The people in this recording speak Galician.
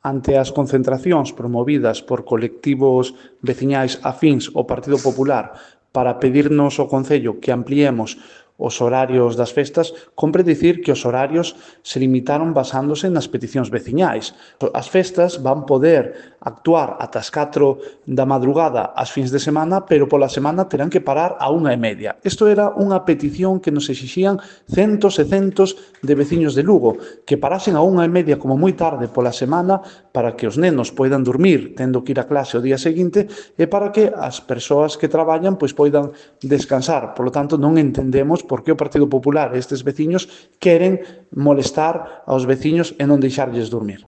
Ante as concentracións promovidas por colectivos veciñais afíns ao Partido Popular para pedirnos ao Concello que ampliemos os horarios das festas, compre dicir que os horarios se limitaron basándose nas peticións veciñais. As festas van poder actuar ata as 4 da madrugada ás fins de semana, pero pola semana terán que parar a 1:30. Isto era unha petición que nos exixían centos e centos de veciños de Lugo, que parasen a 1:30 como moi tarde pola semana para que os nenos poidan dormir tendo que ir a clase o día seguinte e para que as persoas que traballan pois poidan descansar. Por lo tanto, non entendemos por que o Partido Popular e estes veciños queren molestar aos veciños e non deixarlles dormir.